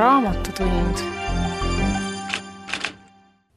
Raamatutund.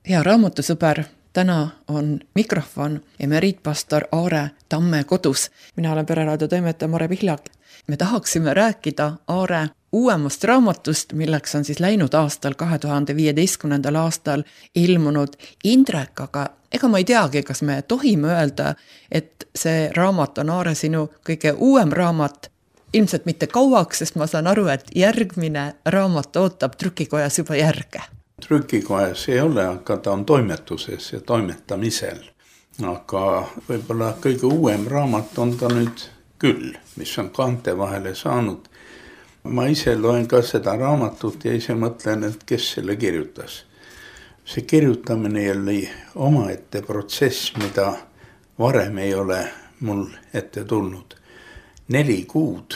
Hea raamatusõber, täna on mikrofon emeriitpastor Aare Tamme kodus. Mina olen Pereraadio toimetaja Mare Pihlak. Me tahaksime rääkida Aare uuemast raamatust, milleks on siis läinud aastal 2015. aastal ilmunud Indrek, aga ega ma ei teagi, kas me tohime öelda, et see raamat on Aare sinu kõige uuem raamat. Ilmselt mitte kauaks, sest ma saan aru, et järgmine raamat ootab trükikojas juba järge. Trükikojas ei ole, aga ta on toimetuses ja toimetamisel. Aga võib-olla kõige uuem raamat on ta nüüd küll, mis on kaante vahele saanud. Ma ise loen ka seda raamatut ja ise mõtlen, et kes selle kirjutas. See kirjutamine oli omaette protsess, mida varem ei ole mul ette tulnud. 4 kuud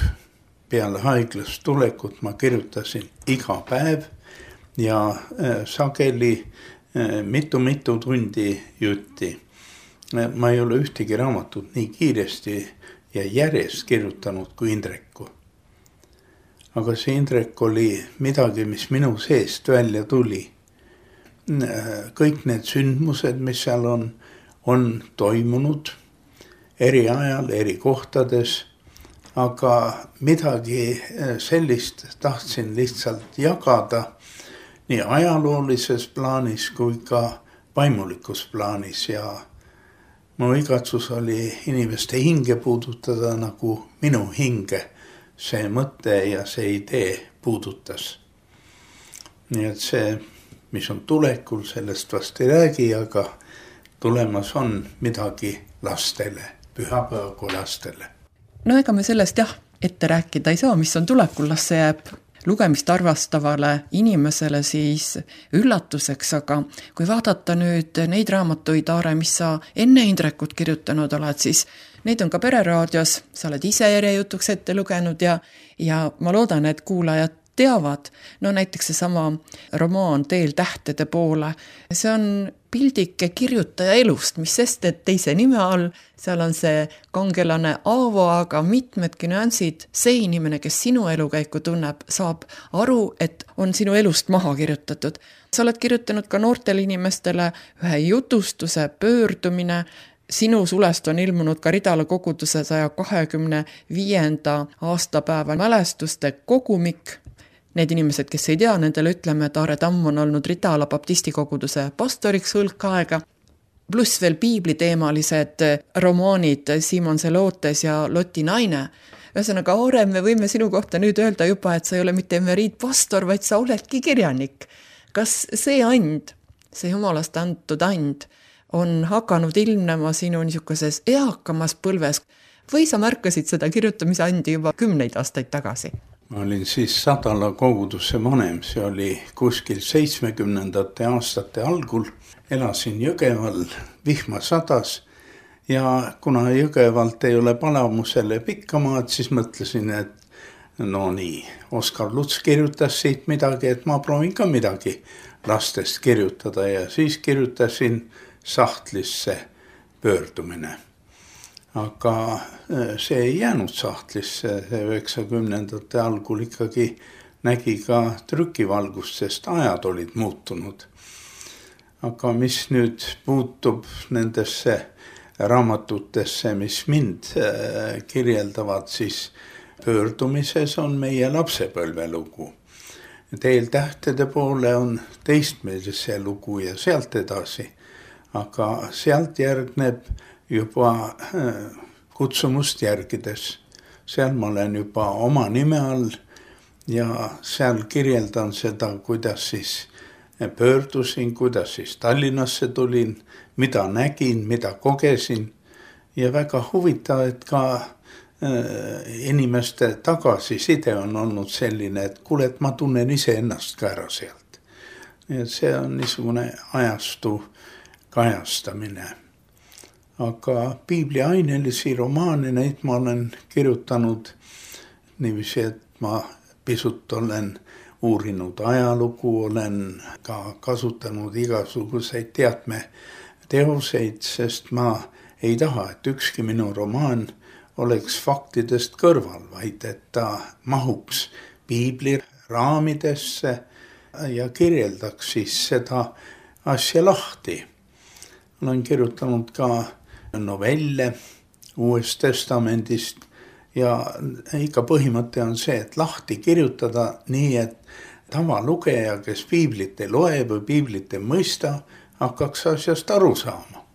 peale haiglast tulekut ma kirjutasin iga päev ja sageli mitu tundi jutti. Ma ei ole ühtegi raamatut nii kiiresti ja järjest kirjutanud kui Indreku. Aga see Indrek oli midagi, mis minu seest välja tuli. Kõik need sündmused, mis seal on toimunud eri ajal, eri kohtades, aga midagi sellist tahtsin lihtsalt jagada nii ajaloolises plaanis kui ka vaimulikus plaanis ja mu igatsus oli inimeste hinge puudutada nagu minu hinge see mõte ja see idee puudutas. Nii et see, mis on tulekul, sellest vast ei räägi, aga tulemas on midagi lastele, pühapäevagu lastele. No ega me sellest ette rääkida ei saa, mis on tulekul, las see jääb lugemist arvastavale inimesele siis üllatuseks, aga kui vaadata nüüd neid raamatuid, Aare, mis sa enne Indrekut kirjutanud oled, siis neid on ka Pereraadios, sa oled ise järjejutuks ette lugenud ja ma loodan, et kuulajad teavad. No näiteks seesama romaan Teel tähtede poole, see on pildike kirjutaja elust, mis sest, et teise nime all, seal on see kangelane Aavo, aga mitmedki nüansid, see inimene, kes sinu elukäiku tunneb, saab aru, et on sinu elust maha kirjutatud. Sa oled kirjutanud ka noortele inimestele ühe jutustuse pöördumine, sinu sulest on ilmunud ka Ridala koguduse 125. aastapäeva mälestuste kogumik. Need inimesed, kes ei tea, nendele ütleme, et Aare Tamm on olnud Ridala baptisti koguduse pastoriks hulk aega, pluss veel piibliteemalised romaanid Simon Zelotes ja Loti naine. Ühesõnaga, Aare, me võime sinu kohta nüüd öelda juba, et sa ei ole mitte emeriitpastor, vaid sa oledki kirjanik. Kas see and, see jumalast antud and, on hakanud ilmnema sinu niisuguses eakamas põlves või sa märkasid seda kirjutamise andi juba 10 aastaid tagasi? Ma olin siis Sadala koguduse vanem, see oli kuskil 70. aastate algul. Elasin Jõgeval, vihma sadas ja kuna Jõgevalt ei ole Palamusele pikka maad, siis mõtlesin, et no nii, Oskar Luts kirjutas siit midagi, et ma proovin ka midagi lastest kirjutada ja siis kirjutasin sahtlisse pöördumine. Aga see ei jäänud sahtlisse, see 90. algul ikkagi nägi ka trükivalgust, sest ajad olid muutunud. Aga mis nüüd puutub nendesse raamatutesse, mis mind kirjeldavad, siis pöördumises on meie lapsepõlvelugu. Teel tähtede poole on teistmeelse lugu ja sealt edasi. Aga sealt järgneb juba kutsumust järgides. Seal ma olen juba oma nime all ja seal kirjeldan seda, kuidas siis pöördusin, kuidas siis Tallinnasse tulin, mida nägin, mida kogesin ja väga huvitav, et ka inimeste tagasiside on olnud selline, et kuule, et ma tunnen ise ennast ka ära sealt. Ja see on niisugune ajastu kajastamine. Aga piibli ainelisi romaane, neid ma olen kirjutanud niiviisi, et ma pisut olen uurinud ajalugu, olen ka kasutanud igasuguseid teadmeteoseid, sest ma ei taha, et ükski minu romaan oleks faktidest kõrval, vaid et ta mahuks piibli raamidesse ja kirjeldaks siis seda asja lahti. Olen kirjutanud ka novelle Uuest Testamendist ja ikka põhimõte on see, et lahti kirjutada nii, et tavalugeja, kes piiblit ei loe või piiblit ei mõista, hakkaks asjast aru saama.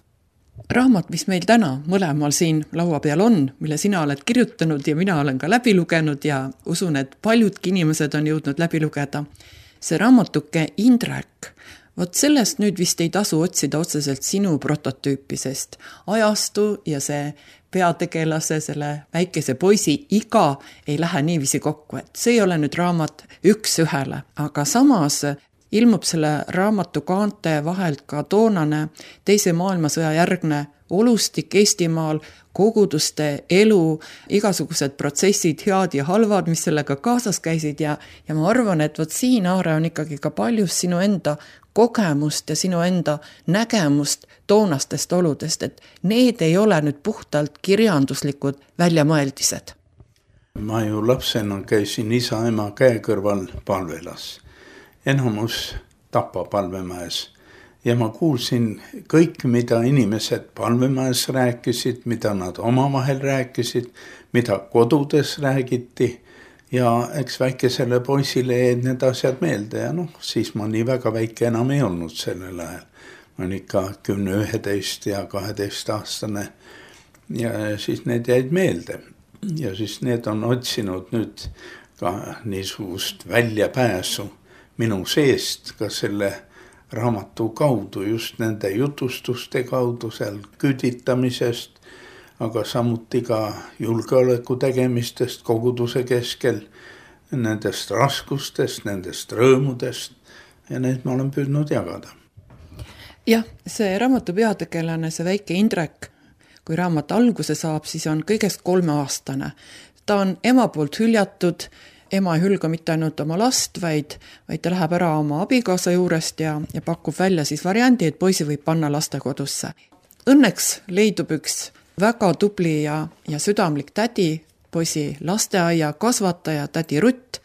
Raamat, mis meil täna mõlemal siin laua peal on, mille sina oled kirjutanud ja mina olen ka läbi lugenud ja usun, et paljudki inimesed on jõudnud läbi lugeda. See raamatuke Indrek, vot sellest nüüd vist ei tasu otsida otseselt sinu prototüüpi, sest ajastu ja see peategelase, selle väikese poisi iga ei lähe niiviisi kokku, et see ei ole nüüd raamat üks ühele, aga samas ilmub selle raamatu kaante vahelt ka toonane Teise maailmasõja järgne olustik Eestimaal, koguduste elu, igasugused protsessid, head ja halvad, mis sellega kaasas käisid ja ma arvan, et vot siin, Aare, on ikkagi ka paljus sinu enda kogemust ja sinu enda nägemust toonastest oludest, et need ei ole nüüd puhtalt kirjanduslikud väljamõeldised. Ma ju lapsena käisin isa-ema käe kõrval palvelas. Enamus Tapa palvemäes ja ma kuulsin kõik, mida inimesed palvemäes rääkisid, mida nad omavahel rääkisid, mida kodudes räägiti ja eks väikesele poisile jäid need asjad meelde ja siis ma nii väga väike enam ei olnud sellel ajal. Ma olin ikka 10, 11 ja 12 aastane ja siis need jäid meelde ja siis need on otsinud nüüd ka niisugust väljapääsu minu seest ka selle raamatu kaudu, just nende jutustuste kaudu seal küüditamisest, aga samuti ka julgeoleku tegemistest koguduse keskel, nendest raskustest, nendest rõõmudest ja need ma olen püüdnud jagada. Jah, see raamatu peategelane, see väike Indrek, kui raamat alguse saab, siis on kõigest 3-aastane. Ta on ema poolt hüljatud, ema ei hülga mitte ainult oma last, vaid ta läheb ära oma abikaasa juurest ja pakub välja siis variandi, et poisi võib panna lastekodusse. Õnneks leidub üks väga tubli ja südamlik tädi, poisi lasteaia kasvataja, tädi Rutt,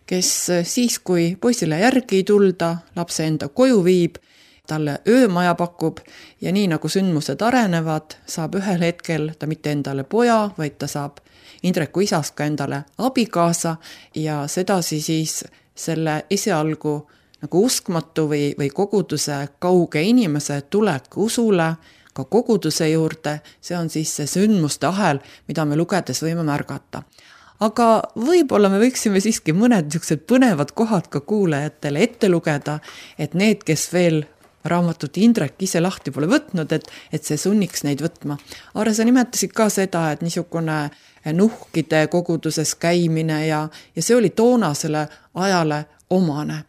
kes siis, kui poisile järgi ei tulda, lapse enda koju viib, talle öömaja pakub ja nii nagu sündmused arenevad, saab ühel hetkel ta mitte endale poja, vaid ta saab Indreku isast ka endale abikaasa ja sedasi siis selle esialgu nagu uskmatu või koguduse kauge inimese tulek usule, ka koguduse juurde, see on siis see sündmuste ahel, mida me lugedes võime märgata. Aga võib-olla me võiksime siiski mõned niisugused põnevad kohad ka kuulajatele ette lugeda, et need, kes veel raamatut Indrek ise lahti pole võtnud, et see sunniks neid võtma. Aare, sa nimetasid ka seda, et niisugune nuhkide koguduses käimine ja see oli toonasele ajale omane.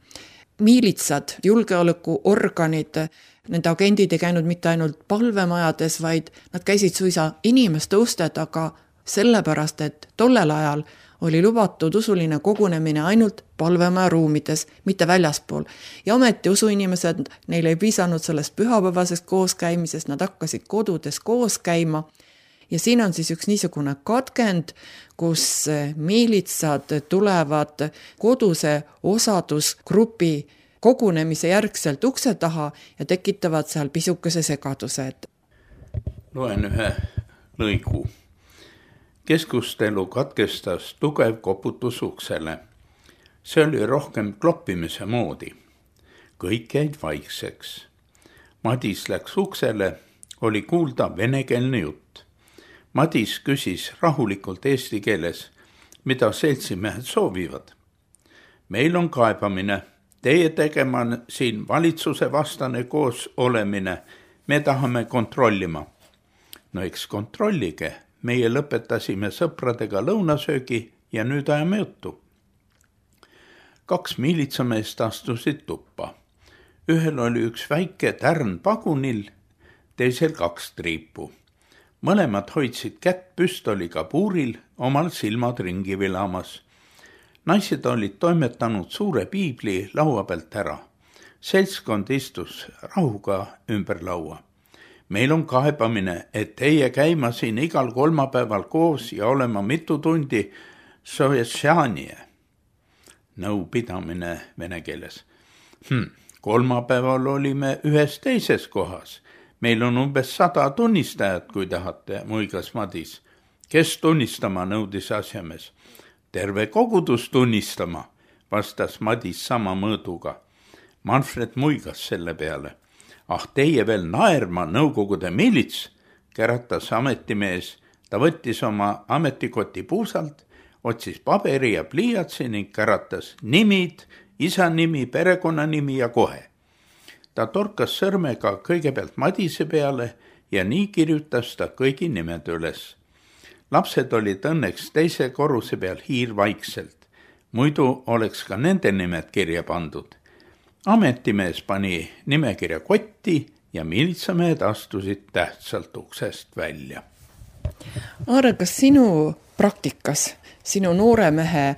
Miilitsad, julgeolekuorganid, nende agendid ei käinud mitte ainult palvemajades, vaid nad käisid suisa inimeste uste taga sellepärast, et tollel ajal oli lubatud usuline kogunemine ainult palvemaja ruumides, mitte väljaspool. Ja ometi usuinimesed, neile ei piisanud sellest pühapäevasest kooskäimisest, nad hakkasid kodudes koos käima. Ja siin on siis üks niisugune katkend, kus miilitsad tulevad koduse osadusgrupi kogunemise järgselt ukse taha ja tekitavad seal pisukese segadused. Loen ühe lõigu. Keskustelu katkestas tugev koputus uksele. See oli rohkem kloppimise moodi. Kõik jäid vaikseks. Madis läks uksele, oli kuulda venekeelne jutt. Madis küsis rahulikult eesti keeles, mida seltsimehed soovivad. Meil on kaebamine, teie tegema siin valitsuse vastane koos olemine, me tahame kontrollima. No eks kontrollige, meie lõpetasime sõpradega lõunasöögi ja nüüd ajame juttu. 2 miilitsameest astusid tuppa. Ühel oli üks väike tärn pagunil, teisel 2 triipu. Mõlemad hoidsid kätt püstoliga puuril, omal silmad ringi vilamas. Naised olid toimetanud suure piibli laua pealt ära. Seltskond istus rahuga ümber laua. Meil on kaebamine, et teie käima siin igal kolmapäeval koos ja olema mitu tundi sovetšaanie. nõupidamine vene keeles. Kolmapäeval olime ühes teises kohas. Meil on umbes 100 tunnistajat, kui tahate, muigas Madis. Kes tunnistama, nõudis asjamees. Terve kogudus tunnistama, vastas Madis sama mõõduga. Manfred muigas selle peale. Teie veel naerma, Nõukogude milits, käratas ametimees. Ta võttis oma ametikoti puusalt, otsis paberi ja pliiatsi ning käratas nimid, isa nimi, perekonnanimi ja kohe. Ta torkas sõrmega kõigepealt Madise peale ja nii kirjutas ta kõigi nimed üles. Lapsed olid õnneks teise korruse peal hiirvaikselt, muidu oleks ka nende nimed kirja pandud. Ametimees pani nimekirja kotti ja militsamehed astusid tähtsalt uksest välja. Aare, kas sinu praktikas, sinu noore mehe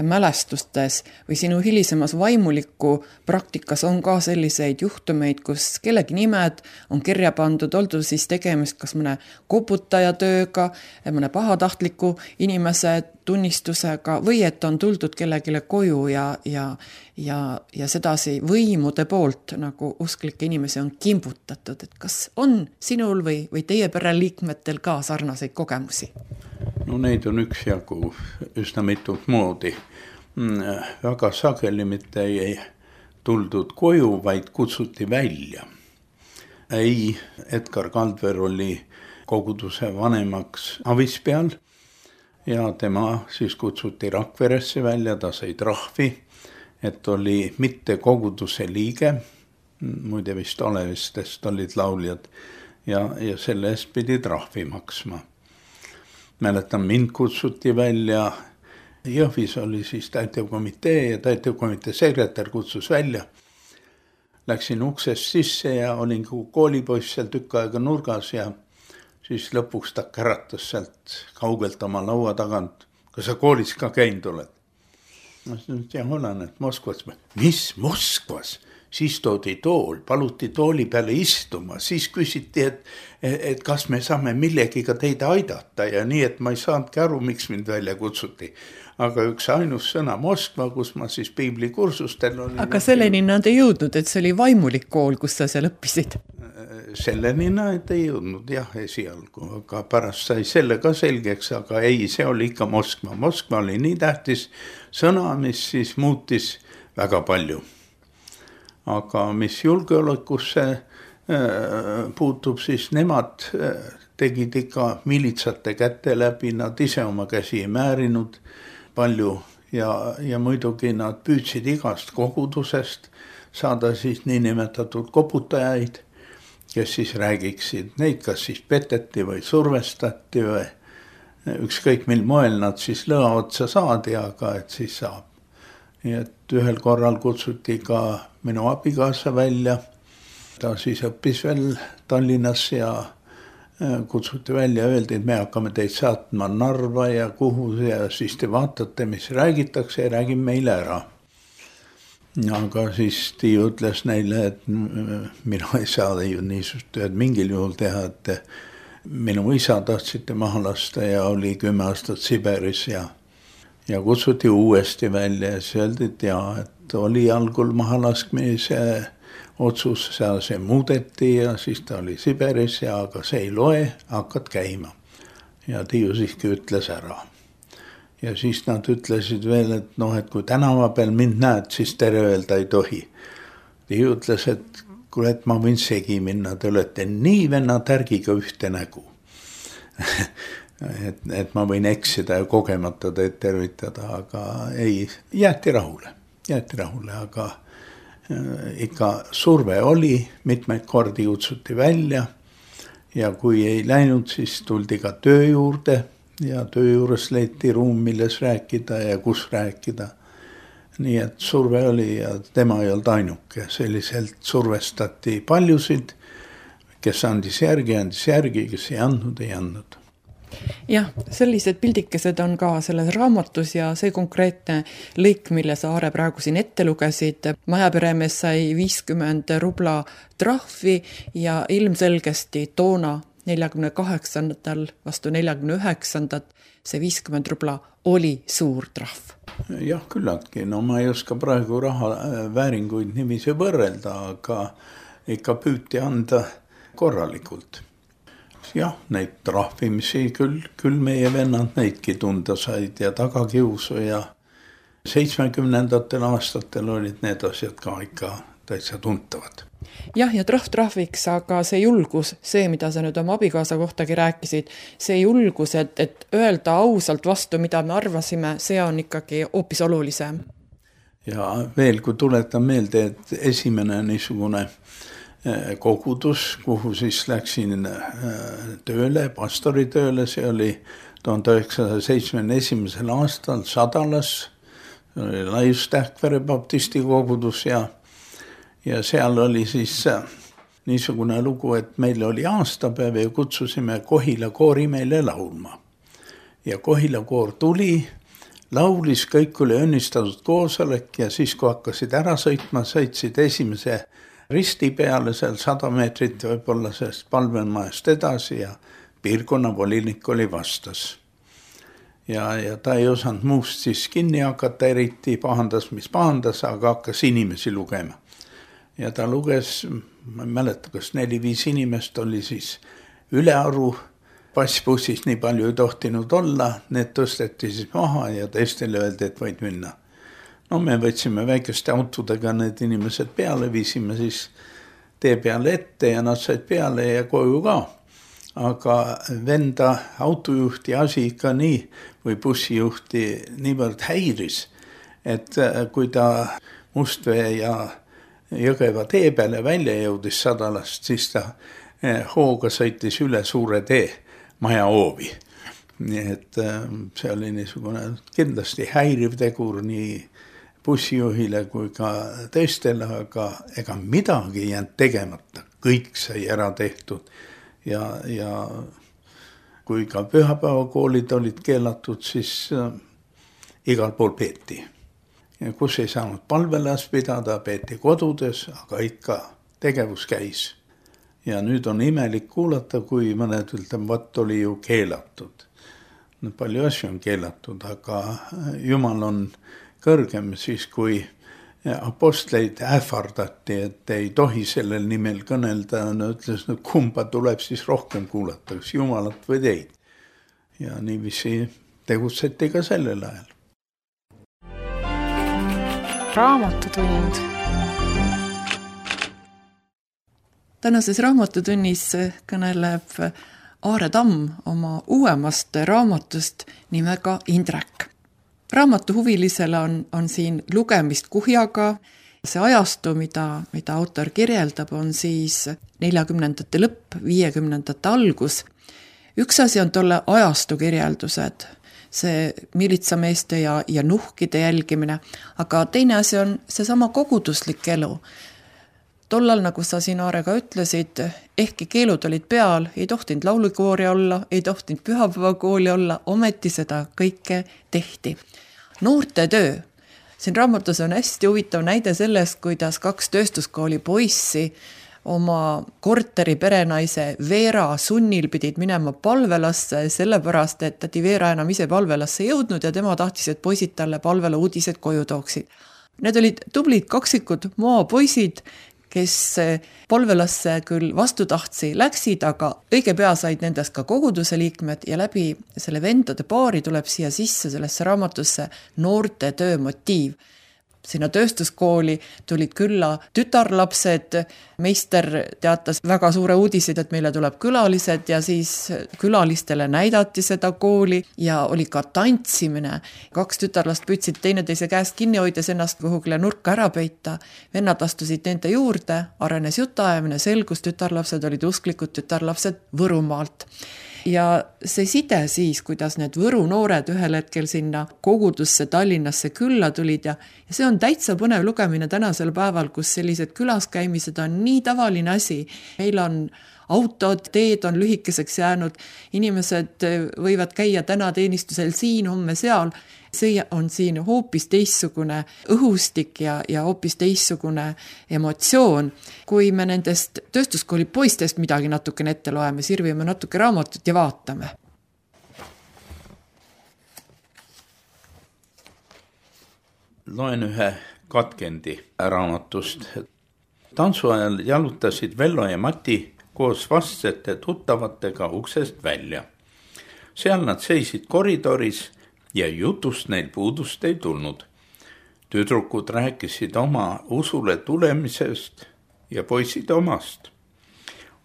mälestustes või sinu hilisemas vaimuliku praktikas on ka selliseid juhtumeid, kus kellegi nimed on kirja pandud, oldu siis tegemist kas mõne koputaja tööga, mõne pahatahtliku inimese tunnistusega või et on tuldud kellegile koju ja sedasi võimude poolt nagu usklikke inimesi on kimbutatud. Et kas on sinul või teie pereliikmetel ka sarnaseid kogemusi? No neid on üksjagu üsna mitut moodi. Väga sageli mitte ei tuldud koju, vaid kutsuti välja. Edgar Kaldver oli koguduse vanemaks avispeal ja tema siis kutsuti Rakveresse välja, ta sai trahvi, et oli mitte koguduse liige, muide vist Olevistest olid lauljad ja selle eest pidi trahvi maksma. Mäletan, mind kutsuti välja, Jõhvis oli siis täitevkomitee ja täitevkomitee sekretär kutsus välja. Läksin uksest sisse ja olin koolipoiss seal tükk aega nurgas ja siis lõpuks ta käratas sealt kaugelt oma laua tagant. Kas sa koolis ka käinud oled? Ma olen, et Moskvas. Mis Moskvas? Siis toodi tool, paluti tooli peale istuma, siis küsiti, et kas me saame millegiga teid aidata ja nii, et ma ei saanudki aru, miks mind välja kutsuti. Aga üks ainus sõna Moskva, kus ma siis piiblikursustel olin. Aga selleni nad ei jõudnud, et see oli vaimulik kool, kus sa seal õppisid? Selleni nad ei jõudnud, jah, esialgu, aga pärast sai selle ka selgeks, aga ei, see oli ikka Moskva. Moskva oli nii tähtis sõna, mis siis muutis väga palju. Aga mis julgeolekusse puutub, siis nemad tegid ikka militsate käte läbi, nad ise oma käsi ei määrinud palju ja muidugi nad püüdsid igast kogudusest saada siis niinimetatud koputajaid, kes siis räägiksid, neid kas siis peteti või survestati või ükskõik mil moel nad siis lõa otsa saadi, aga et siis saab. Nii et ühel korral kutsuti ka minu abikaasa välja. Ta siis õppis veel Tallinnas ja kutsuti välja ja öeldi, et me hakkame teid saatma Narva ja kuhu ja siis te vaatate, mis räägitakse ja räägime meile ära. Aga siis Tiiu ütles neile, et minu ei saa ju niisugust tööd mingil juhul teha, et minu isa tahtsite maha lasta ja oli 10 aastat Siberis ja kutsuti uuesti välja ja siis öeldi, et oli algul mahalaskmise otsus, see muudeti ja siis ta oli Siberis ja aga see ei loe, hakkad käima. Ja Tiiu siiski ütles ära. Ja siis nad ütlesid veel, et et kui tänava peal mind näed, siis tere öelda ei tohi. Tiiu ütles, et kuule, et ma võin segi minna, te olete nii venna tärgiga ühte nägu. et ma võin eksida ja kogemata teid tervitada, aga ei, jäeti rahule, aga ikka surve oli, mitmeid kordi kutsuti välja ja kui ei läinud, siis tuldi ka töö juurde ja töö juures leiti ruum, milles rääkida ja kus rääkida. Nii et surve oli ja tema ei olnud ainuke, selliselt survestati paljusid, kes andis järgi, kes ei andnud. Jah, sellised pildikesed on ka selles raamatus ja see konkreetne lõik, mille sa, Aare, praegu siin ette lugesid. Majaperemees sai 50 rubla trahvi ja ilmselgesti toona 48. vastu 49. see 50 rubla oli suur trahv. Jah, küllaltki. No ma ei oska praegu raha vääringuid niiviisi võrrelda, aga ikka püüti anda korralikult. Jah, neid trahvimisi küll meie vennad neidki tunda said ja tagakiusu ja 70. aastatel olid need asjad ka ikka täitsa tuntavad. Jah, ja trahviks, aga see julgus, see, mida sa nüüd oma abikaasa kohtagi rääkisid, see julgus, et öelda ausalt vastu, mida me arvasime, see on ikkagi hoopis olulisem. Ja veel, kui tuletan meelde, et esimene niisugune kogudus, kuhu siis läksin tööle, pastoritööle, see oli 1971. aastal Sadalas, Laius-Tähtvere baptisti kogudus ja seal oli siis niisugune lugu, et meil oli aastapäev ja kutsusime Kohila koori meile laulma. Ja Kohila koor tuli, laulis, kõik oli õnnistatud koosolek ja siis, kui hakkasid ära sõitma, sõitsid esimese risti peale seal 100 meetrit võib-olla sellest palvelmajast edasi ja piirkonnavolinik oli vastas. Ja ta ei osanud muust siis kinni hakata, eriti pahandas, mis pahandas, aga hakkas inimesi lugema. Ja ta luges, ma ei mäleta, kas 4-5 inimest oli siis ülearu, passbussis nii palju ei tohtinud olla, need tõsteti siis maha ja teistele öeldi, et võid minna. No me võtsime väikeste autodega need inimesed peale, viisime siis tee peale ette ja nad said peale ja koju ka. Aga venda autojuhti asi ikka nii või bussijuhti niivõrd häiris, et kui ta Mustvee ja Jõgeva tee peale välja jõudis Sadalast, siis ta hooga sõitis üle suure tee maja hoovi. Nii et see oli niisugune kindlasti häiriv tegur nii bussijuhile kui ka teistele, aga ega midagi ei jäänud tegemata. Kõik sai ära tehtud ja kui ka pühapäevakoolid olid keelatud, siis igal pool peeti. Ja kus ei saanud palvelas pidada, peeti kodudes, aga ikka tegevus käis. Ja nüüd on imelik kuulata, kui mõned ütlevad, oli ju keelatud. Palju asju on keelatud, aga Jumal on kõrgem siis, kui apostleid ähvardati, et ei tohi sellel nimel kõnelda. No ütles, no kumba tuleb siis rohkem kuulata, kas Jumalat või teid. Ja niiviisi tegutseti ka sellel ajal. Raamatutund. Tänases raamatutunnis kõneleb Aare Tamm oma uuemast raamatust nimega Indrek. Raamatuhuvilisele on siin lugemist kuhjaga. See ajastu, mida autor kirjeldab, on siis 40. lõpp, 50. algus. Üks asi on tolle ajastu kirjeldused, see militsameeste ja nuhkide jälgimine, aga teine asi on seesama koguduslik elu. Tollal, nagu sa siin Aarega ütlesid, ehkki keelud olid peal, ei tohtinud laulukoori olla, ei tohtinud pühapäevakooli olla, ometi seda kõike tehti. Noorte töö. Siin raamatus on hästi huvitav näide sellest, kuidas 2 tööstuskooli poissi oma korteri perenaise Veera sunnil pidid minema palvelasse, sellepärast, et tädi Veera enam ise palvelasse jõudnud ja tema tahtis, et poisid talle palvela uudised koju tooksid. Need olid tublid kaksikud maapoisid, kes palvelasse küll vastutahtsi läksid, aga õige pea said nendest ka koguduse liikmed ja läbi selle vendade paari tuleb siia sisse sellesse raamatusse noorte töö motiiv. Sinna tööstuskooli tulid külla tütarlapsed, meister teatas väga suure uudiseid, et meile tuleb külalised ja siis külalistele näidati seda kooli ja oli ka tantsimine. 2 tütarlast püüdsid teineteise käest kinni hoides ennast kuhugile nurka ära peita. Vennad astusid nende juurde, arenes jutuajamine, selgus tütarlapsed olid usklikud tütarlapsed Võrumaalt. Ja see side siis, kuidas need Võru noored ühel hetkel sinna kogudusse Tallinnasse külla tulid ja see on täitsa põnev lugemine tänasel päeval, kus sellised külaskäimised on nii tavaline asi. Meil on autod, teed on lühikeseks jäänud, inimesed võivad käia täna teenistusel siin, homme seal. See on siin hoopis teistsugune õhustik ja hoopis teistsugune emotsioon. Kui me nendest tööstuskooli poistest midagi natukene ette loeme, sirvime natuke raamatut ja vaatame. Loen ühe katkendi raamatust. Tantsu ajal jalutasid Vello ja Mati koos vastsete tuttavatega uksest välja. Seal nad seisid koridoris ja jutust neil puudust ei tulnud. Tüdrukud rääkisid oma usule tulemisest ja poisid omast.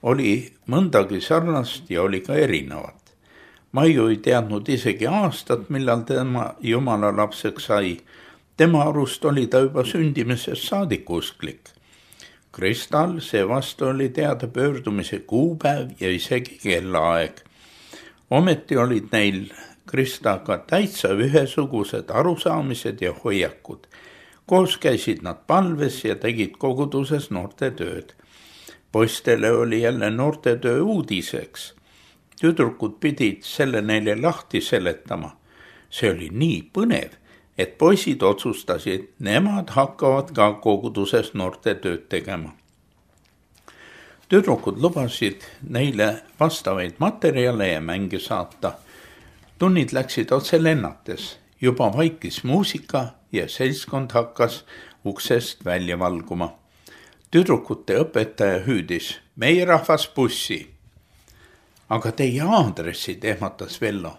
Oli mõndagi sarnast ja oli ka erinevat. Maiu ei teadnud isegi aastat, millal tema Jumala lapseks sai. Tema arust oli ta juba sündimisest saadik usklik. Kristal seevastu oli teada pöördumise kuupäev ja isegi kellaaeg. Ometi olid neil Kristaga täitsa ühesugused arusaamised ja hoiakud. Koos käisid nad palves ja tegid koguduses noortetööd. Poistele oli jälle noortetöö uudiseks. Tüdrukud pidid selle neile lahti seletama. See oli nii põnev, et poisid otsustasid, nemad hakkavad ka koguduses noortetööd tegema. Tüdrukud lubasid neile vastavaid materjale ja mänge saata. Tunnid läksid otse lennates, juba vaikis muusika ja seltskond hakkas uksest välja valguma. Tüdrukute õpetaja hüüdis, meie rahvas bussi. Aga teie aadressid, ehmatas Vello.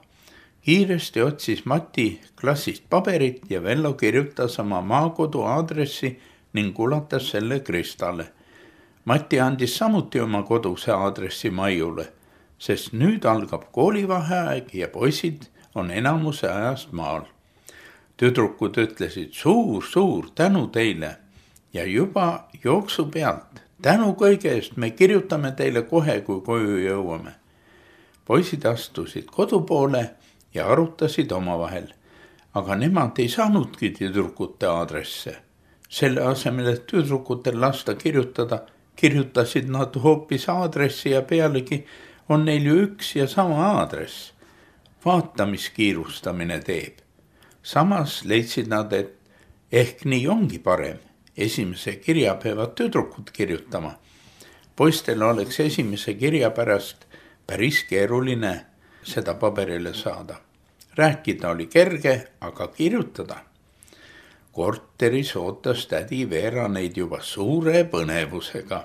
Kiiresti otsis Mati klassist paberit ja Vello kirjutas oma maakodu aadressi ning ulatas selle Kristale. Mati andis samuti oma koduse aadressi Maiule, sest nüüd algab koolivaheaeg ja poisid on enamuse ajast maal. Tüdrukud ütlesid suur tänu teile ja juba jooksu pealt. Tänu kõige eest me kirjutame teile kohe, kui koju jõuame. Poisid astusid kodu poole ja arutasid omavahel, aga nemad ei saanudki tüdrukute aadresse. Selle asemel, et tüdrukutel lasta kirjutada, kirjutasid nad hoopis aadressi ja pealegi on neil ju üks ja sama aadress. Vaatamiskiirustamine teeb. Samas leidsid nad, et ehk nii ongi parem. Esimese kirja peavad tüdrukud kirjutama. Poistel oleks esimese kirja pärast päris keeruline seda paberile saada. Rääkida oli kerge, aga kirjutada. Korteris ootas tädi Veera neid juba suure põnevusega.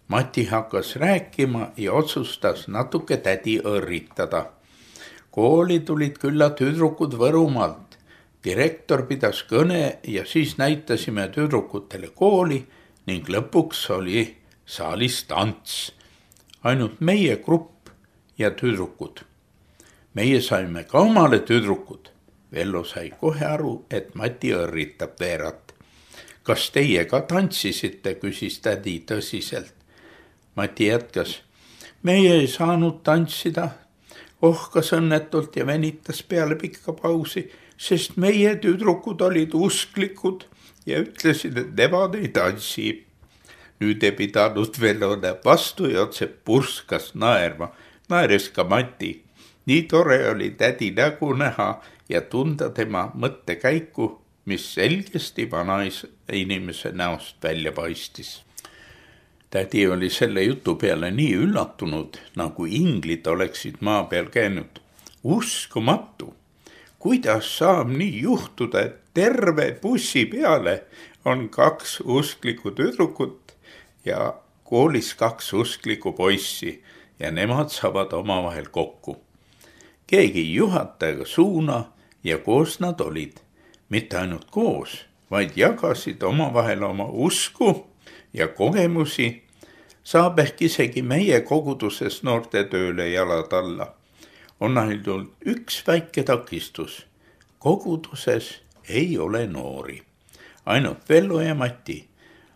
Mati hakkas rääkima ja otsustas natuke tädi õrritada. Kooli tulid külla tüdrukud Võrumaalt. Direktor pidas kõne ja siis näitasime tüdrukutele kooli ning lõpuks oli saalis tants. Ainult meie grupp ja tüdrukud. Meie saime ka omale tüdrukud. Vello sai kohe aru, et Mati õrritab Veerat. Kas teie ka tantsisite, küsis tädi tõsiselt. Mati jätkas. Meie ei saanud tantsida. Ohkas õnnetult ja venitas peale pikka pausi, sest meie tüdrukud olid usklikud ja ütlesid, et nemad ei tantsi. Nüüd ei pidanud Vellole vastu ja otse purskas naerma. Naeres ka Mati. Nii tore oli tädi nägu näha ja tunda tema mõttekäiku, mis selgesti vanainimese näost välja paistis. Tädi oli selle jutu peale nii üllatunud, nagu inglid oleksid maa peal käinud. Uskumatu! Kuidas saab nii juhtuda, et terve bussi peale on 2 usklikku tüdrukut ja koolis 2 usklikku poissi ja nemad saavad omavahel kokku. Keegi juhatajaga suuna ja koos nad olid. Mitte ainult koos, vaid jagasid omavahel oma usku ja kogemusi. Saab ehk isegi meie koguduses noorte tööle jalad alla. On ainult üks väike takistus. Koguduses ei ole noori. Ainult Vello ja Mati.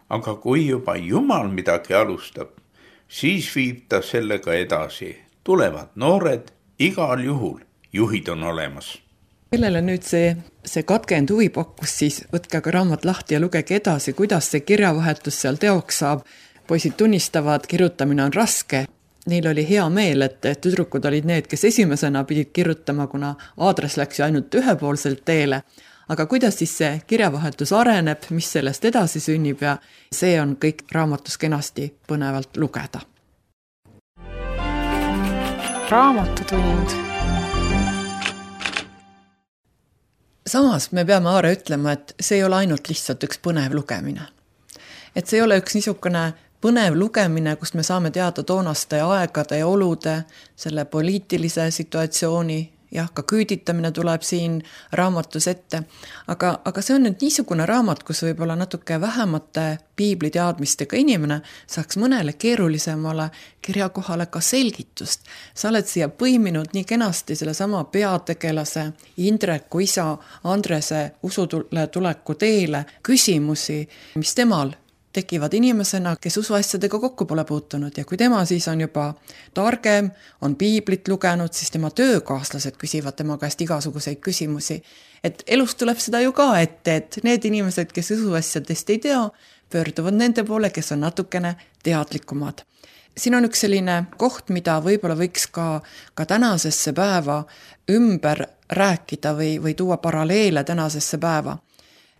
Aga kui juba Jumal midagi alustab, siis viib ta sellega edasi. Tulevad noored, igal juhul juhid on olemas. Kellele nüüd see katkend huvi pakkus, siis võtke ka raamat lahti ja lugege edasi, kuidas see kirjavahetus seal teoks saab. Poisid tunnistavad, kirjutamine on raske. neil oli hea meel, et tüdrukud olid need, kes esimesena pidid kirjutama, kuna aadress läks ju ainult ühepoolselt teele. Aga kuidas siis see kirjavahetus areneb, mis sellest edasi sünnib ja see on kõik raamatus kenasti põnevalt lugeda. Raamatutund. Samas me peame Aare ütlema, et see ei ole ainult lihtsalt üks põnev lugemine. Et see ei ole üks niisugune põnev lugemine, kus me saame teada toonaste aegade ja olude, selle poliitilise situatsiooni, jah, ka küüditamine tuleb siin raamatus ette, aga see on nüüd niisugune raamat, kus võib-olla natuke vähemate piibliteadmistega inimene saaks mõnele keerulisemale kirjakohale ka selgitust. Sa oled siia põiminud nii kenasti selle sama peategelase Indreku isa Andrese usule tuleku teele küsimusi, mis temal tekivad inimesena, kes usuasjadega kokku pole puutunud ja kui tema siis on juba targem, on piiblit lugenud, siis tema töökaaslased küsivad tema käest igasuguseid küsimusi. Et elus tuleb seda ju ka ette, et need inimesed, kes usuasjadest ei tea, pöörduvad nende poole, kes on natukene teadlikumad. Siin on üks selline koht, mida võib-olla võiks ka tänasesse päeva ümber rääkida või tuua paralleele tänasesse päeva.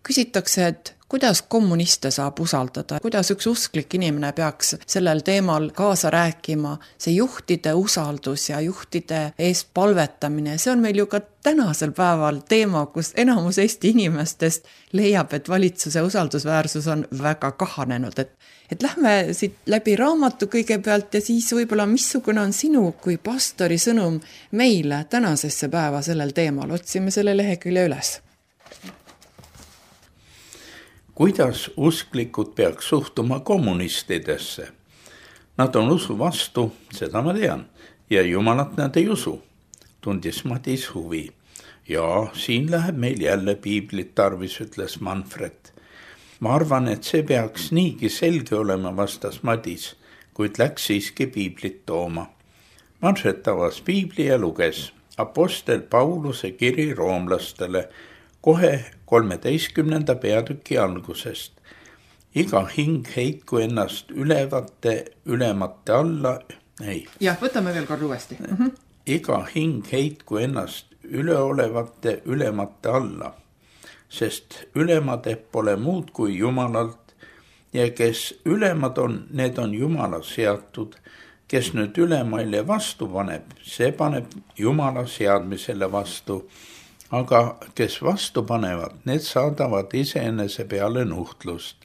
Küsitakse, et kuidas kommuniste saab usaldada, kuidas üks usklik inimene peaks sellel teemal kaasa rääkima, see juhtide usaldus ja juhtide eest palvetamine, see on meil ju ka tänasel päeval teema, kus enamus Eesti inimestest leiab, et valitsuse usaldusväärsus on väga kahanenud, et lähme siit läbi raamatu kõigepealt ja siis võib-olla missugune on sinu kui pastori sõnum meile tänasesse päeva sellel teemal, otsime selle lehekülje üles. Kuidas usklikud peaks suhtuma kommunistidesse? Nad on usu vastu, seda ma tean, ja jumalat nad ei usu, tundis Madis huvi. Ja siin läheb meil jälle piiblit tarvis, ütles Manfred. Ma arvan, et see peaks niigi selge olema, vastas Madis, kuid läks siiski piiblit tooma. Manfred avas piibli ja luges Apostel Pauluse kiri roomlastele kohe 13. peatüki algusest. Iga hing heitku ennast ülemate alla. Jah, võtame veel kord uuesti. Iga hing heitku ennast ülemate alla, sest ülemad pole muud kui Jumalalt ja kes ülemad on, need on Jumala seatud. Kes nüüd ülemaile vastu paneb, see paneb Jumala seadmisele vastu. Aga kes vastu panevad, need saadavad iseenese peale nuhtlust,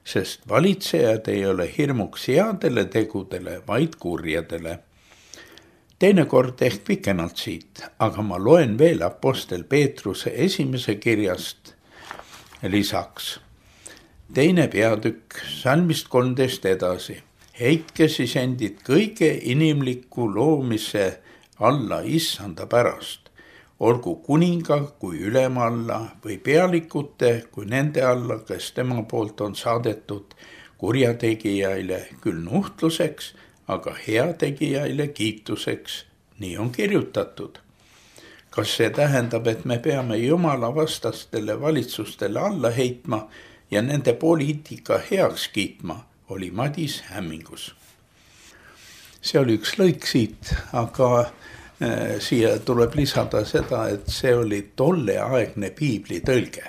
sest valitsejad ei ole hirmuks headele tegudele, vaid kurjadele. Teinekord ehk pikemalt siit, aga ma loen veel Apostel Peetruse esimese kirjast lisaks. 2. peatükk, salmist 13 edasi. Heitke siis endid kõige inimliku loomise alla issanda pärast. Olgu kuninga kui ülema alla või pealikute kui nende alla, kes tema poolt on saadetud kurjategijaile küll nuhtluseks, aga heategijaile kiituseks. Nii on kirjutatud. Kas see tähendab, et me peame Jumala vastastele valitsustele alla heitma ja nende poliitika heaks kiitma, oli Madis hämmingus. See oli üks lõik siit, aga siia tuleb lisada seda, et see oli tolleaegne piibli tõlge.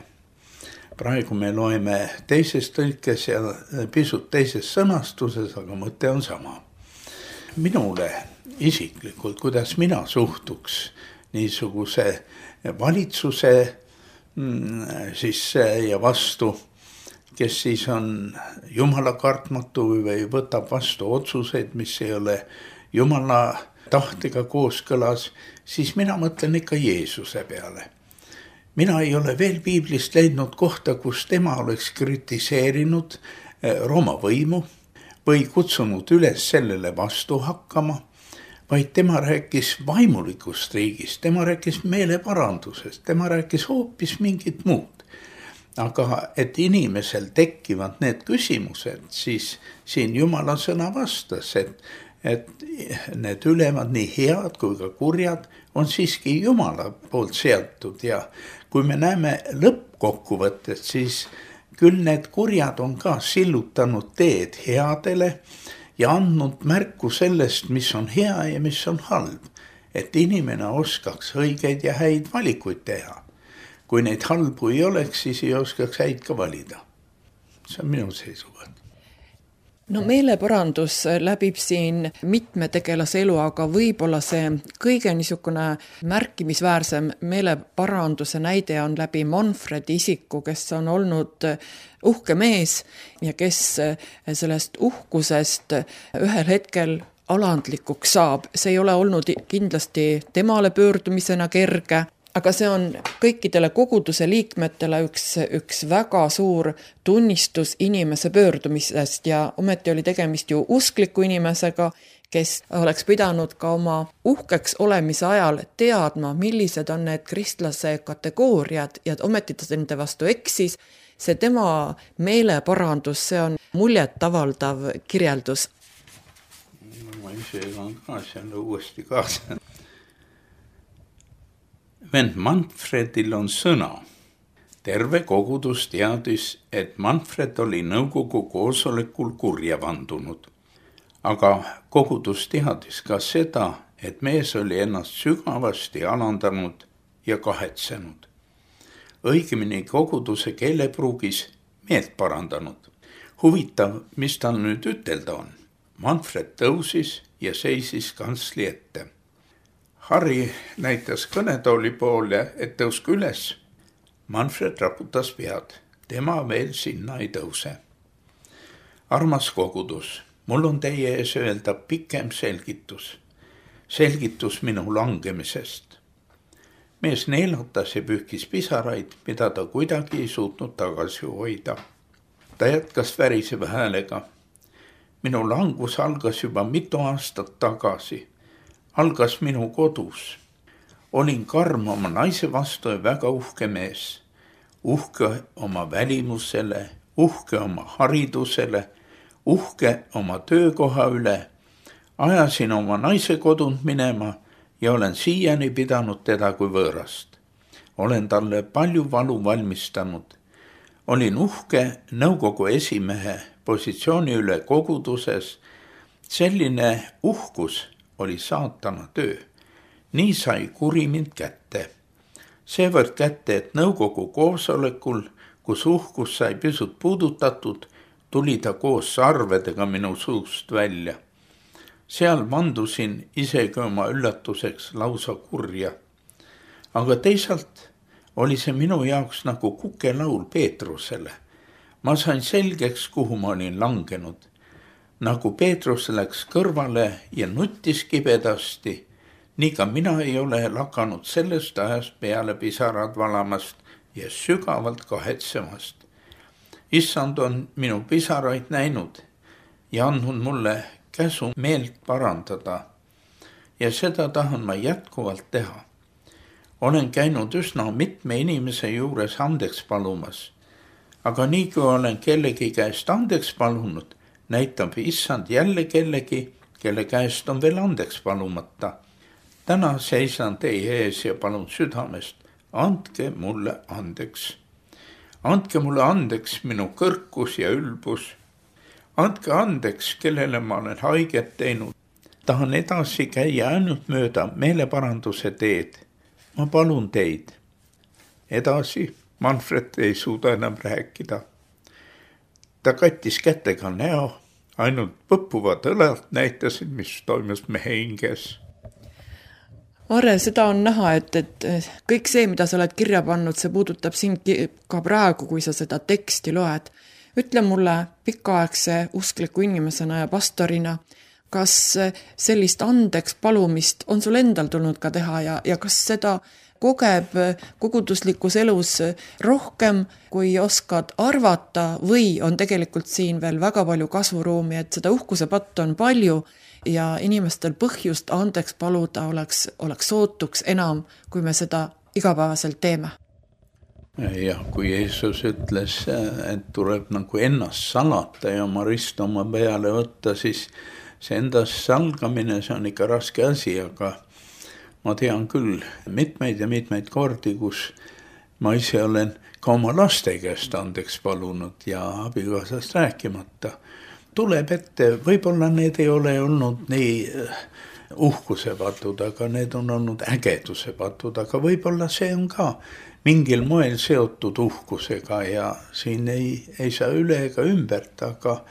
Praegu me loeme teises tõlkes ja pisut teises sõnastuses, aga mõte on sama. Minule isiklikult, kuidas mina suhtuks niisuguse valitsuse sisse ja vastu, kes siis on Jumala kartmatu või võtab vastu otsuseid, mis ei ole Jumala tahtega kooskõlas, siis mina mõtlen ikka Jeesuse peale. Mina ei ole veel piiblist leidnud kohta, kus tema oleks kritiseerinud Rooma võimu või kutsunud üles sellele vastu hakkama, vaid tema rääkis vaimulikust riigist, tema rääkis meeleparandusest, tema rääkis hoopis mingit muud. Aga et inimesel tekivad need küsimused, siis siin Jumala sõna vastas, et need ülemad, nii head kui ka kurjad, on siiski Jumala poolt seatud ja kui me näeme lõppkokkuvõtet, siis küll need kurjad on ka sillutanud teed headele ja andnud märku sellest, mis on hea ja mis on halb, et inimene oskaks õigeid ja häid valikuid teha. Kui neid halbu ei oleks, siis ei oskaks häid ka valida. See on minu seisukoht. No meeleparandus läbib siin mitme tegelase elu, aga võib-olla see kõige niisugune märkimisväärsem meeleparanduse näide on läbi Manfredi isiku, kes on olnud uhke mees ja kes sellest uhkusest ühel hetkel alandlikuks saab. See ei ole olnud kindlasti temale pöördumisena kerge, aga see on kõikidele koguduse liikmetele üks väga suur tunnistus inimese pöördumisest ja ometi oli tegemist ju uskliku inimesega, kes oleks pidanud ka oma uhkeks olemise ajal teadma, millised on need kristlase kategooriad ja ometi ta nende vastu eksis. See tema meeleparandus, see on muljetavaldav kirjeldus. Ma ise on ka seal uuesti kaasa. Vend Manfredil on sõna. Terve kogudus teadis, et Manfred oli nõukogu koosolekul kurja vandunud. Aga kogudus teadis ka seda, et mees oli ennast sügavasti alandanud ja kahetsenud. Õigemini koguduse keelepruugis meelt parandanud. Huvitav, mis tal nüüd ütelda on. Manfred tõusis ja seisis kantsli ette. Harri näitas kõnetooli poole, et tõuske üles. Manfred raputas pead. Tema veel sinna ei tõuse. Armas kogudus, mul on teie ees öelda pikem selgitus. Selgitus minu langemisest. Mees neelatas ja pühkis pisaraid, mida ta kuidagi ei suutnud tagasi hoida. Ta jätkas väriseva häälega. Minu langus algas juba mitu aastat tagasi. Algas minu kodus. Olin karm oma naise vastu ja väga uhke mees. Uhke oma välimusele, uhke oma haridusele, uhke oma töökoha üle. Ajasin oma naise kodunt minema ja olen siiani pidanud teda kui võõrast. Olen talle palju valu valmistanud. Olin uhke nõukogu esimehe positsiooni üle koguduses. Selline uhkus oli saatana töö. Nii sai kuri mind kätte. Seevõrd kätte, et nõukogu koosolekul, kus uhkus sai pisut puudutatud, tuli ta koos sarvedega minu suust välja. Seal vandusin isegi oma üllatuseks lausa kurja. Aga teisalt oli see minu jaoks nagu kukelaul Peetrusele. Ma sain selgeks, kuhu ma olin langenud. Nagu Peetrus läks kõrvale ja nuttis kibedasti, nii ka mina ei ole lakanud sellest ajast peale pisarad valamast ja sügavalt kahetsemast. Issand on minu pisaraid näinud ja andnud mulle käsu meelt parandada ja seda tahan ma jätkuvalt teha. Olen käinud üsna mitme inimese juures andeks palumas, aga nii kui olen kellegi käest andeks palunud, näitab issand jälle kellegi, kelle käest on veel andeks palumata. Täna seisan teie ees ja palun südamest, andke mulle andeks. Andke mulle andeks minu kõrkus ja ülbus. Andke andeks, kellele ma olen haiget teinud. Tahan edasi käia ainult mööda meeleparanduse teed. Ma palun teid. Edasi Manfred ei suuda enam rääkida. Ta kattis kätega näo, ainult põppuvad õlad näitasid, mis toimus mehe hinges. Arre, seda on näha, et kõik see, mida sa oled kirja pannud, see puudutab sind ka praegu, kui sa seda teksti loed. Ütle mulle pikaaegse uskliku inimesena ja pastorina, kas sellist andeks palumist on sul endal tulnud ka teha ja kas seda kogeb koguduslikus elus rohkem, kui oskad arvata või on tegelikult siin veel väga palju kasvuruumi, et seda uhkuse pattu on palju ja inimestel põhjust andeks paluda oleks sootuks enam, kui me seda igapäevaselt teeme. Jah, kui Jeesus ütles, et tuleb nagu ennast salata ja oma rist oma peale võtta, siis see endast salgamine, see on ikka raske asi, aga ma tean küll mitmeid ja mitmeid kordi, kus ma ise olen ka oma laste käest andeks palunud ja abikaasast rääkimata. tuleb ette, võib-olla need ei ole olnud nii uhkuse patud, aga need on olnud ägeduse patud, aga võib-olla see on ka mingil moel seotud uhkusega ja siin ei saa üle ega ümbert, aga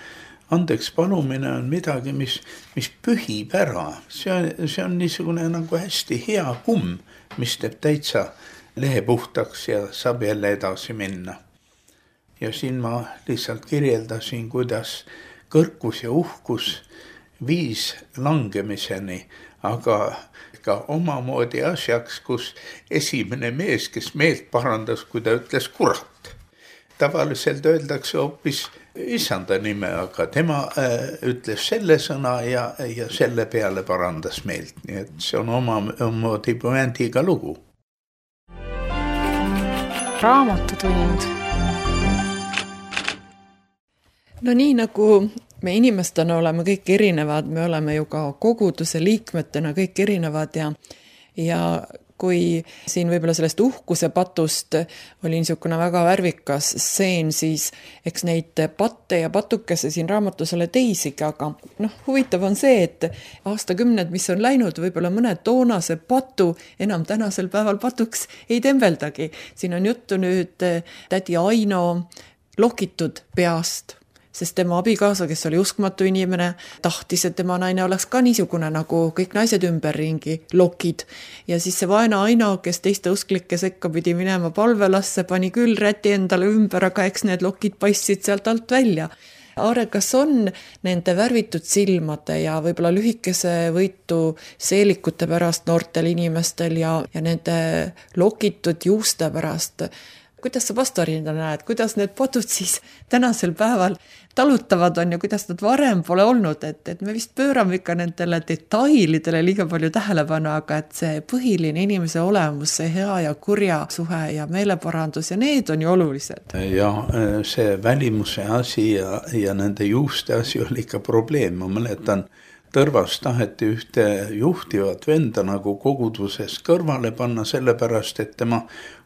andeks palumine on midagi, mis pühib ära. See on niisugune nagu hästi hea kumm, mis teeb täitsa lehe puhtaks ja saab jälle edasi minna. Ja siin ma lihtsalt kirjeldasin, kuidas kõrkus ja uhkus viis langemiseni, aga ka omamoodi asjaks, kus esimene mees, kes meelt parandas, kui ta ütles kurat. Tavaliselt öeldakse hoopis issanda nime, aga tema ütles selle sõna ja selle peale parandas meelt. Nii et see on omamoodi pointiga lugu. Raamatutund. No nii nagu me inimestena oleme kõik erinevad, me oleme ju ka koguduse liikmetena kõik erinevad ja kui siin võib-olla sellest uhkuse patust oli niisugune väga värvikas stseen, siis eks neid patte ja patukese siin raamatus ole teisigi, aga huvitav on see, et aastakümned, mis on läinud, võib-olla mõne toonase patu enam tänasel päeval patuks ei tembeldagi. Siin on juttu nüüd tädi Aino lokitud peast, sest tema abikaasa, kes oli uskmatu inimene, tahtis, et tema naine oleks ka niisugune nagu kõik naised ümberringi lokid. Ja siis see vaene Aino, kes teiste usklike sekka pidi minema palvelasse, pani küll räti endale ümber, aga eks need lokid paistsid sealt alt välja. Aare, kas on nende värvitud silmade ja võib-olla lühikese võitu seelikute pärast noortel inimestel ja nende lokitud juuste pärast, kuidas sa pastorina näed, kuidas need patud siis tänasel päeval talutavad on ja kuidas nad varem pole olnud, et me vist pöörame ikka nendele detailidele liiga palju tähelepanu, aga et see põhiline inimese olemus, see hea ja kurja suhe ja meeleparandus ja need on ju olulised. Ja see välimuse asi ja nende juuste asi oli ikka probleem, ma mäletan, Tõrvas taheti ühte juhtivat venda nagu koguduses kõrvale panna sellepärast, et tema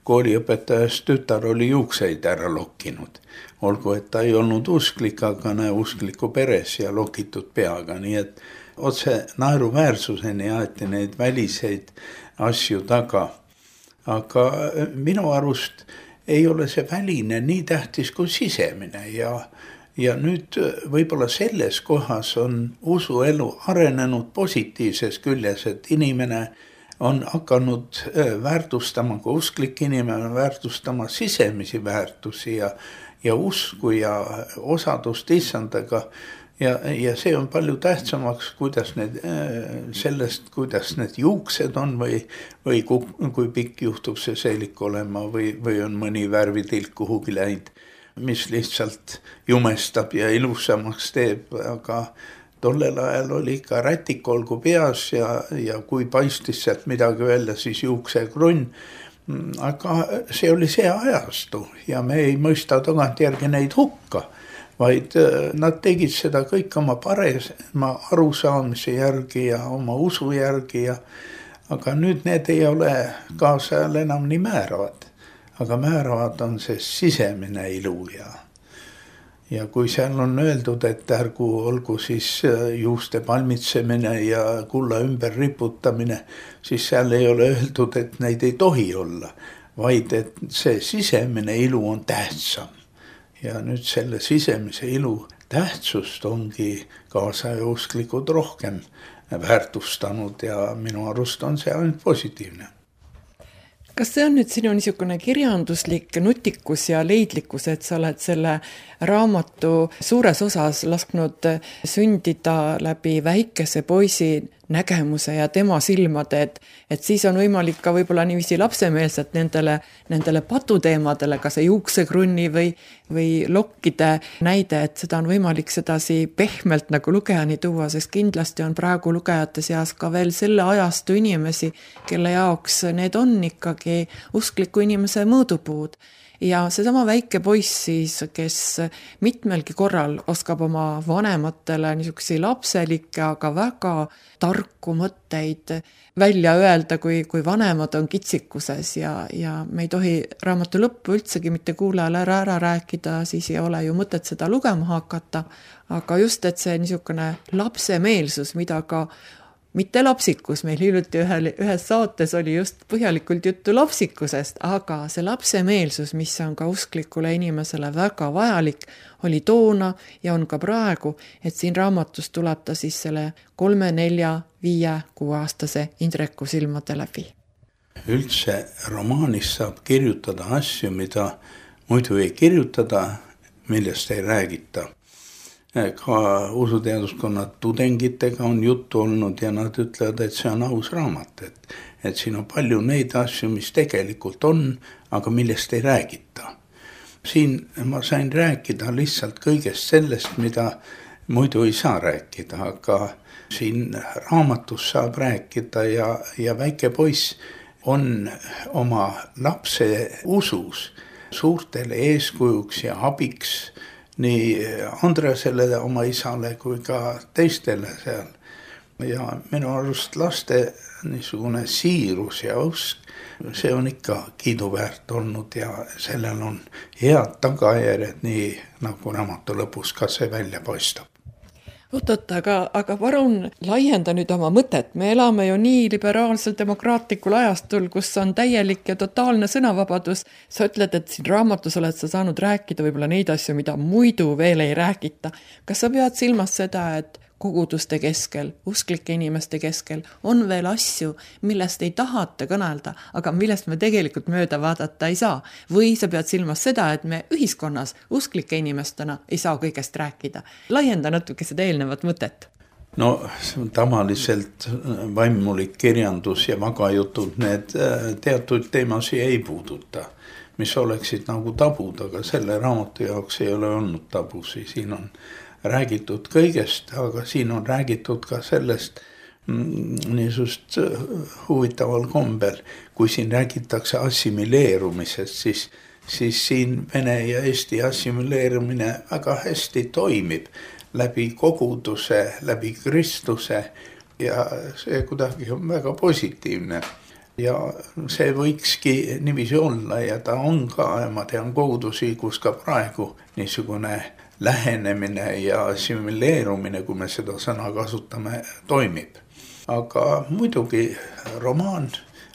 kooliõpetajast tütar oli juukseid ära lokkinud. Olgu, et ta ei olnud usklik, aga uskliku peres ja lokitud peaga, nii et otse naeruväärsuseni aeti neid väliseid asju taga. Aga minu arust ei ole see väline nii tähtis kui sisemine ja nüüd võib-olla selles kohas on usuelu arenenud positiivses küljes, et inimene on hakanud väärtustama, kui usklik inimene väärtustama sisemisi väärtusi ja usku ja osadust issandaga. Ja see on palju tähtsamaks, kuidas need juuksed on või kui pikk juhtub see seelik olema või on mõni värvitilk kuhugi läinud, mis lihtsalt jumestab ja ilusamaks teeb, aga tollel ajal oli ikka rätik olgu peas ja kui paistis sealt midagi välja, siis juuksekrunn. Aga see oli see ajastu ja me ei mõista tagantjärgi neid hukka, vaid nad tegid seda kõik oma parema arusaamise järgi ja oma usu järgi. Aga nüüd need ei ole kaasajal enam nii määravad. Aga määravad on see sisemine ilu ja kui seal on öeldud, et olgu siis juuste palmitsemine ja kulla ümber riputamine, siis seal ei ole öeldud, et neid ei tohi olla, vaid et see sisemine ilu on tähtsam. Ja nüüd selle sisemise ilu tähtsust ongi kaasaja usklikud rohkem väärtustanud ja minu arust on see ainult positiivne. Kas see on nüüd sinu niisugune kirjanduslik nutikus ja leidlikkus, et sa oled selle raamatu suures osas lasknud sündida läbi väikese poisi nägemuse ja tema silmade, et siis on võimalik ka võib-olla niiviisi lapsemeelselt nendele patuteemadele, ka see juuksekrunni või lokkide näide, et seda on võimalik sedasi pehmelt nagu lugejani tuua, sest kindlasti on praegu lugejate seas ka veel selle ajastu inimesi, kelle jaoks need on ikkagi uskliku inimese mõõdupuud. Ja seesama väike poiss siis, kes mitmelgi korral oskab oma vanematele niisuguseid lapselikke, aga väga tarku mõtteid välja öelda, kui vanemad on kitsikuses ja me ei tohi raamatu lõppu üldsegi mitte kuulajale ära rääkida, siis ei ole ju mõtet seda lugema hakata, aga just, et see niisugune lapsemeelsus, mida ka mitte lapsikus, meil hiljuti ühes saates oli just põhjalikult juttu lapsikusest, aga see lapsemeelsus, mis on ka usklikule inimesele väga vajalik, oli toona ja on ka praegu, et siin raamatus tuleb ta siis selle 3, 4, 5, 6-aastase Indreku silmade läbi. Üldse romaanis saab kirjutada asju, mida muidu ei kirjutada, millest ei räägita. Ka usuteaduskonna tudengitega on juttu olnud ja nad ütlevad, et see on aus raamat, et siin on palju neid asju, mis tegelikult on, aga millest ei räägita. Siin ma sain rääkida lihtsalt kõigest sellest, mida muidu ei saa rääkida, aga siin raamatus saab rääkida ja väike poiss on oma lapse usus suurtele eeskujuks ja abiks nii Andresele, oma isale kui ka teistele seal. Ja minu arust laste niisugune siirus ja usk, see on ikka kiiduväärt olnud ja sellel on head tagajärjed, nii nagu raamatu lõpus ka see välja paistab. Oot, aga palun laienda nüüd oma mõtet. Me elame ju nii liberaalsel demokraatlikul ajastul, kus on täielik ja totaalne sõnavabadus. Sa ütled, et siin raamatus oled sa saanud rääkida võib-olla neid asju, mida muidu veel ei räägita. Kas sa pead silmas seda, et koguduste keskel, usklike inimeste keskel on veel asju, millest ei tahata kõnelda, aga millest me tegelikult mööda vaadata ei saa? Või sa pead silmas seda, et me ühiskonnas usklike inimestena ei saa kõigest rääkida? Laienda natuke seda eelnevat mõtet. No tavaliselt vaimulik kirjandus ja vagajutud, need teatud teemasi ei puuduta, mis oleksid nagu tabud, aga selle raamatu jaoks ei ole olnud tabusi, siin on räägitud kõigest, aga siin on räägitud ka sellest niisugust huvitaval kombel, kui siin räägitakse assimileerumisest, siis siin vene ja eesti assimileerumine väga hästi toimib läbi koguduse, läbi Kristuse ja see kuidagi on väga positiivne. Ja see võikski niiviisi olla ja ta on ka, ma tean kogudusi, kus ka praegu niisugune lähenemine ja assimileerumine, kui me seda sõna kasutame, toimib. Aga muidugi romaan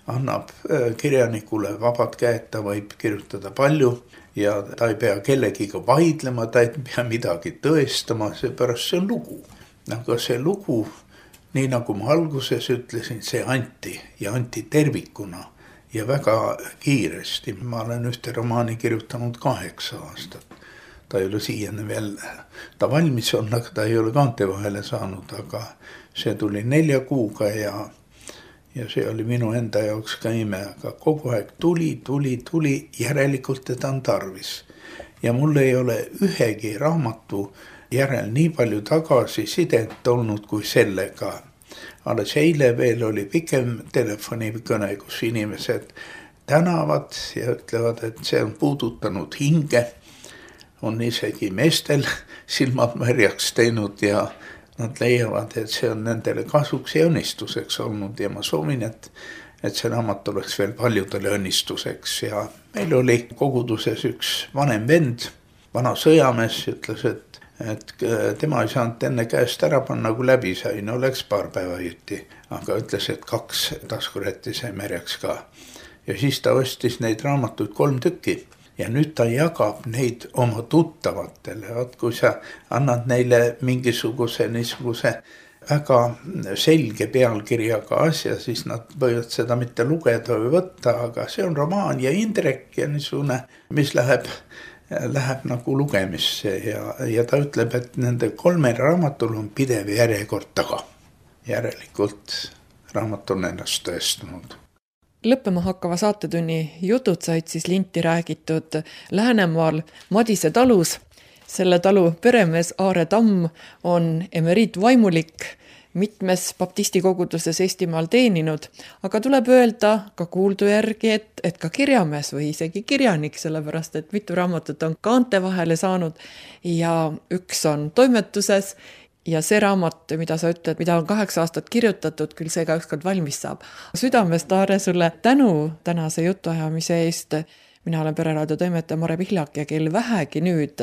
annab kirjanikule vabad käed, ta võib kirjutada palju ja ta ei pea kellegiga vaidlema, ta ei pea midagi tõestama, seepärast see on lugu. Aga see lugu, nii nagu ma alguses ütlesin, see anti tervikuna ja väga kiiresti. Ma olen ühte romaani kirjutanud 8 aastat. Ta ei ole siiani veel, ta valmis on, aga ta ei ole kaante vahele saanud, aga see tuli 4 kuuga ja see oli minu enda jaoks ka ime, aga kogu aeg tuli, järelikult teda on tarvis. Ja mul ei ole ühegi raamatu järel nii palju tagasisidet olnud kui sellega. Alles eile veel oli pikem telefonikõne, kus inimesed tänavad ja ütlevad, et see on puudutanud hinge. On isegi meestel silmad märjaks teinud ja nad leiavad, et see on nendele kasuks ja õnnistuseks olnud ja ma soovin, et see raamat oleks veel paljudele õnnistuseks ja meil oli koguduses üks vanem vend, vana sõjamees, ütles, et tema ei saanud enne käest ära panna, kui läbi sai, no läks paar päeva jutti, aga ütles, et 2 taskurätti sai märjaks ka ja siis ta ostis neid raamatuid 3 tükki. Ja nüüd ta jagab neid oma tuttavatele. Kui sa annad neile mingisuguse niisuguse väga selge pealkirjaga asja, siis nad võivad seda mitte lugeda või võtta, aga see on romaan ja Indrek ja niisugune, mis läheb nagu lugemisse ja ta ütleb, et nende 3 raamatul on pidev järjekord taga. Järelikult raamat on ennast tõestanud. Lõppema hakkava saatetunni jutud said siis linti räägitud Läänemaal Madise talus. Selle talu peremees Aare Tamm on emeriitvaimulik, mitmes baptisti koguduses Eestimaal teeninud, aga tuleb öelda ka kuuldu järgi, et ka kirjamees või isegi kirjanik, sellepärast et mitu raamatut on kaante vahele saanud ja üks on toimetuses ja see raamat, mida sa ütled, mida on 8 aastat kirjutatud, küll see ka ükskord valmis saab. Südamest, Aare, sulle tänu tänase jutuajamise eest. Mina olen Pereraadio toimetaja Mare Pihlak ja kel vähegi nüüd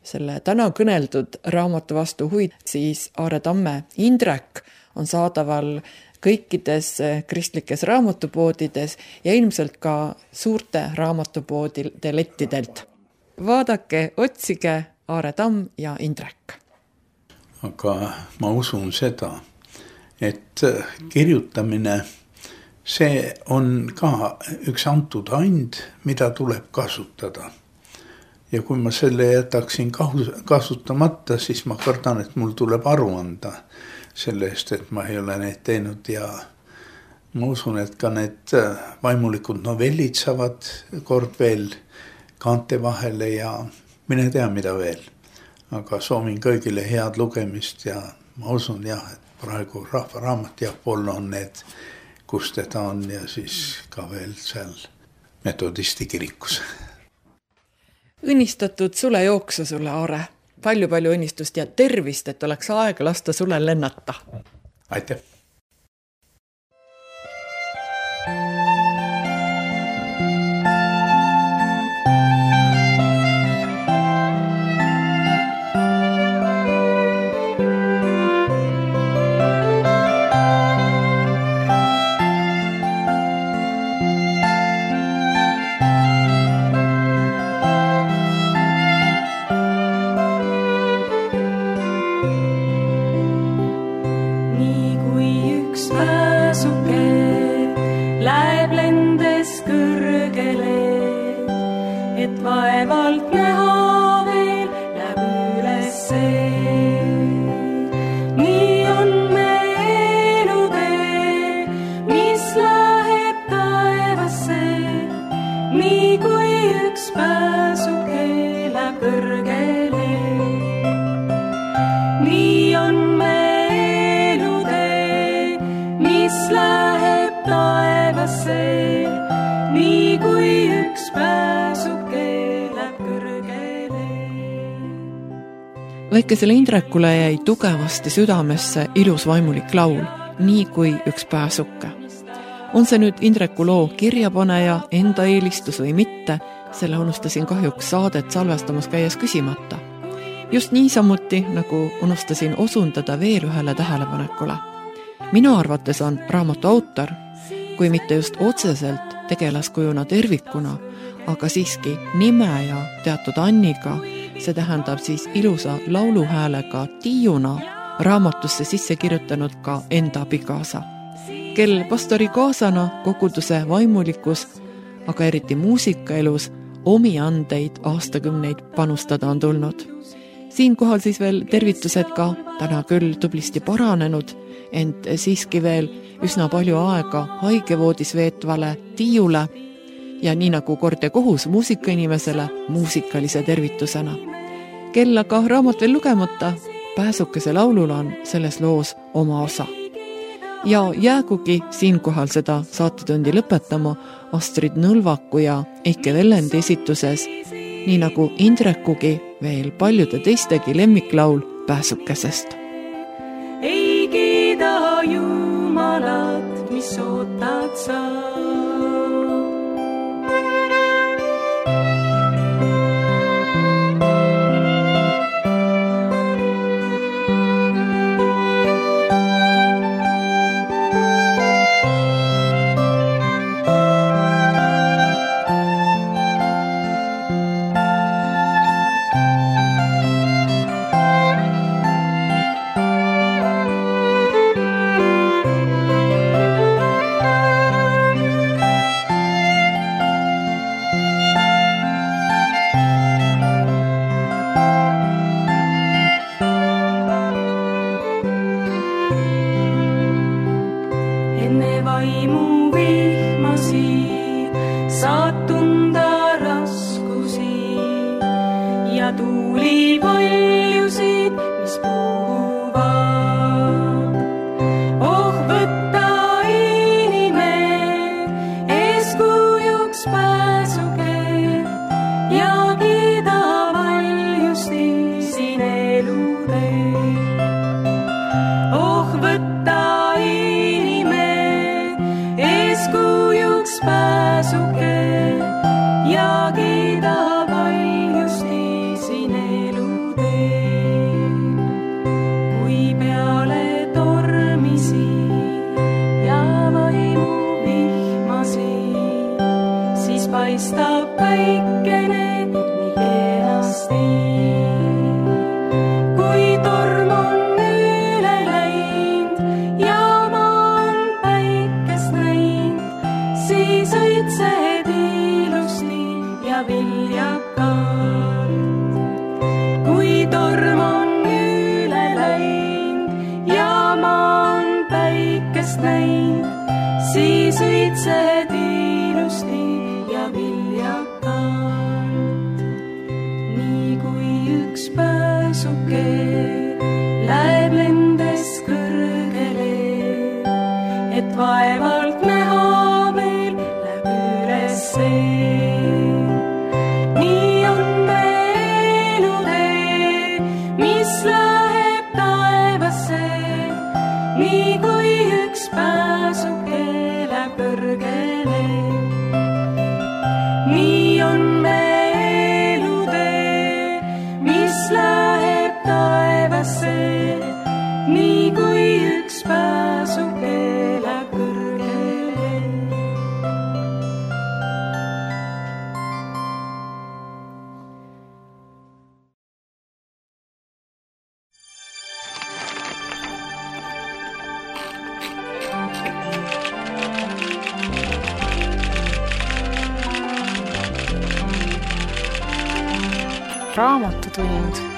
selle täna kõneldud raamatu vastu huid, siis Aare Tamme Indrek on saadaval kõikides kristlikes raamatupoodides ja ilmselt ka suurte raamatupoodide lettidelt. Vaadake, otsige Aare Tamm ja Indrek. Aga ma usun seda, et kirjutamine see on ka üks antud and, mida tuleb kasutada. Ja kui ma selle jätaksin kasutamata, siis ma kardan, et mul tuleb aru anda selle eest, et ma ei ole neid teinud ja ma usun, et ka need vaimulikud novellid saavad kord veel kaante vahele ja mine tea, mida veel. Aga soovin kõigile head lugemist ja ma usun jah, et praegu Rahvaraamat ja Apollo on need, kus teda on ja siis ka veel seal metodisti kirikus. Õnnistatud sule jooksu sulle, Aare. Palju õnnistust ja tervist, et oleks aega lasta sulle lennata. Aitäh! Vaevalt näha veel läheb üles see. Nii on me elutee, mis läheb taevasse. Nii kui üks pääsuke läheb kõrgele. Nii on me elutee, mis läheb taevasse. Nii kui üks pääsuke Väikesele Indrekule jäi tugevasti südamesse ilus vaimulik laul, nii kui üks pääsuke. On see nüüd Indreku loo kirjapaneja enda eelistus või mitte, selle unustasin kahjuks saadet salvestamas käies küsimata. Just niisamuti, nagu unustasin osundada veel ühele tähelepanekule. Minu arvates on raamatu autor, kui mitte just otseselt tegelaskujuna tervikuna, aga siiski nime ja teatud anniga, see tähendab siis ilusa lauluhäälega Tiiuna raamatusse sisse kirjutanud ka enda abikaasa, kel pastori kaasana koguduse vaimulikus, aga eriti muusikaelus omi andeid aastakümneid panustada on tulnud. Siinkohal siis veel tervitused ka täna küll tublisti paranenud, ent siiski veel üsna palju aega haigevoodis veetvale Tiiule ja nii nagu kord ja kohus muusikainimesele muusikalise tervitusena. Kel aga raamat veel lugemata, pääsukese laulul on selles loos oma osa. Ja jäägugi siinkohal seda saatetundi lõpetama Astrid Nõlvaku ja Eike Vellendi esituses, nii nagu Indrekugi veel paljude teistegi lemmiklaul pääsukesest. Ei kiida Jumalat, mis ootad sa. päikest näinud, siis õitsed ilusti ja viljakalt. Nii kui üks pääsuke läheb lendes kõrgele, et vaevalt näha veel läheb ülesse. Nii on me elutee, mis läheb taevasse, nii kui üks pääsuke läheb kõrgele. Nii on me elutee, mis läheb taevasse, nii kui üks pääsuke läheb kõrgele. Raamatutund.